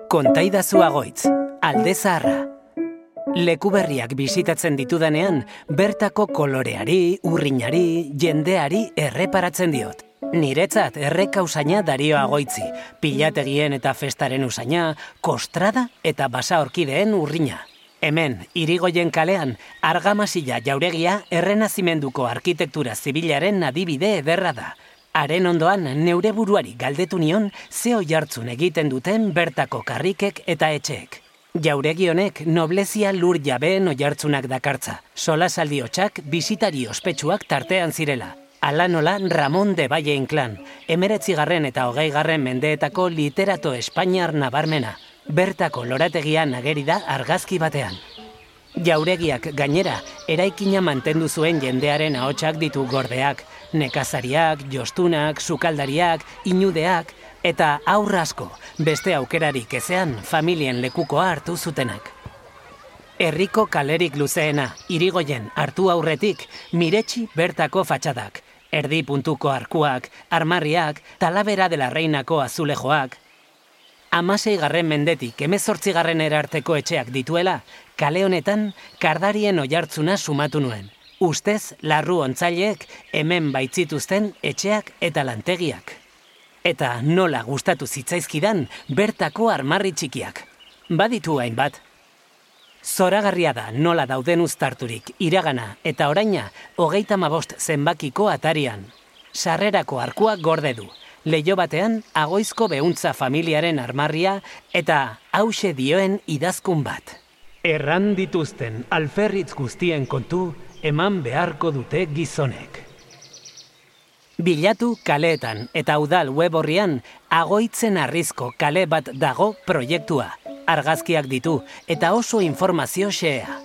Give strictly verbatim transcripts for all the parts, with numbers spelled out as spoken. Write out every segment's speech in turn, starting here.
Kontaidazu Agoitz, Alde Zaharra. Leku berriak bisitatzen ditudanean, bertako koloreari, urrinari, jendeari erreparatzen diot. Niretzat erreka usaina Dario Agoitzi, pilategien eta festaren usaina, kostrada eta basa orkideen urrina. Hemen, Irigoyen kalean, argamasila jauregia errenazimenduko arkitektura zibilaren adibide ederra da. Haren ondoan, neure buruari galdetu nion ze oihartzun egiten duten bertako karrikek eta etxeek. Jauregi honek noblezia lur jabeen oihartzunak dakartza, solasaldi hotsak bisitari ospetsuak tartean zirela. Hala nola Ramon de Valle Inclán, emeretzigarren eta hogeigarren mendeetako literato espainiar nabarmena, bertako lorategian ageri da argazki batean. Jauregiak gainera, eraikina mantendu zuen jendearen ahotsak ditu gordeak, nekazariak, jostunak, sukaldariak, inudeak, eta haur asko, beste aukerarik ezean familien lekukoa hartu zutenak. Herriko kalerik luzeena, Irigoyen hartu aurretik, miretsi bertako fatxadak, erdi puntuko arkuak, armarriak, Talavera de la Reinako azulejoak. Hamaseigarren mendetik hemezortzigarren erarteko etxeak dituela, kale honetan kardarien oihartzuna sumatu nuen. Ustez, larru ontzaileek hemen baitzituzten etxeak eta lantegiak. Eta nola gustatu zitzaizkidan bertako armarri txikiak. Baditu hainbat. Zoragarria da nola dauden uztarturik iragana eta oraina hogeita hamabost zenbakiko atarian. Sarrerako arkuak gorde du. Leiho batean Agoizko Behuntza familiaren armarria eta hauxe dioen idazkun bat. Erran dituzten alferritz guztien kontu eman beharko dute gizonek. Bilatu kaleetan eta udal web orrian Agoitzen Harrizko kale bat dago proiektua. Argazkiak ditu eta oso informazio xehea.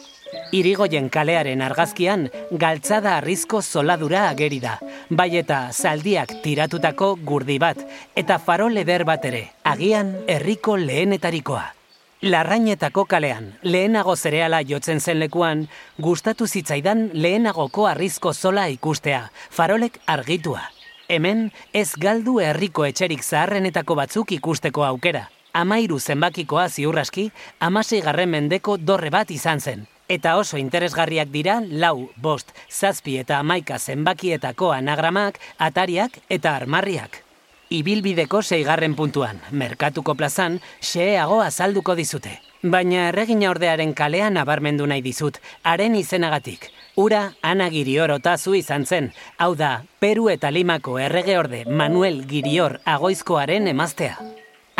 Irigoyen kalearen argazkian galtzada harrizko zoladura ageri da, bai eta zaldiak tiratutako gurdi bat eta farol eder bat ere, agian herriko lehenetarikoa. Larrainetako kalean, lehenago zereala jotzen zen lekuan, gustatu zitzaidan lehenagoko harrizko zola ikustea, farolek argitua. Hemen ez galdu herriko etxerik zaharrenetako batzuk ikusteko aukera. Amairu zenbakikoa ziurraski, hamaseigarren mendeko dorre bat izan zen. Eta oso interesgarriak dira lau, bost, zazpi eta hamaika zenbakietako anagramak, atariak eta armarriak. Ibilbideko seigarren puntuan, merkatuko plazan, xeheago azalduko dizute. Baina erregina ordearen kalean nabarmendu nahi dizut, haren izenagatik. Ura Ana Girior Otazu izan zen, hau da, Peru eta Limako erregeorde Manuel Girior Agoizkoaren emaztea.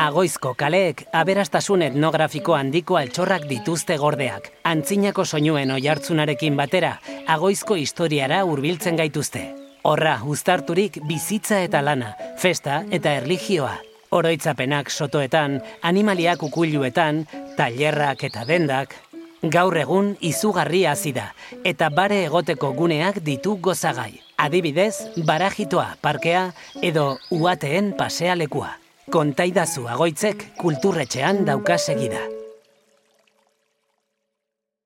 Agoizko kaleek aberastasun etnografiko handiko altxorrak dituzte gordeak. Antzinako soinuen oihartzunarekin batera, Agoizko historiara hurbiltzen gaituzte. Horra, uztarturik bizitza eta lana, festa eta erlijioa. Oroitzapenak sotoetan, animaliak ukuiluetan, tailerrak eta dendak. Gaur egun izugarria hasi da, eta bare egoteko guneak ditu gozagai. Adibidez, Barajitoa parkea edo Uhateen pasealekua. Kontaidazu Agoitzek kulturretxean dauka segida.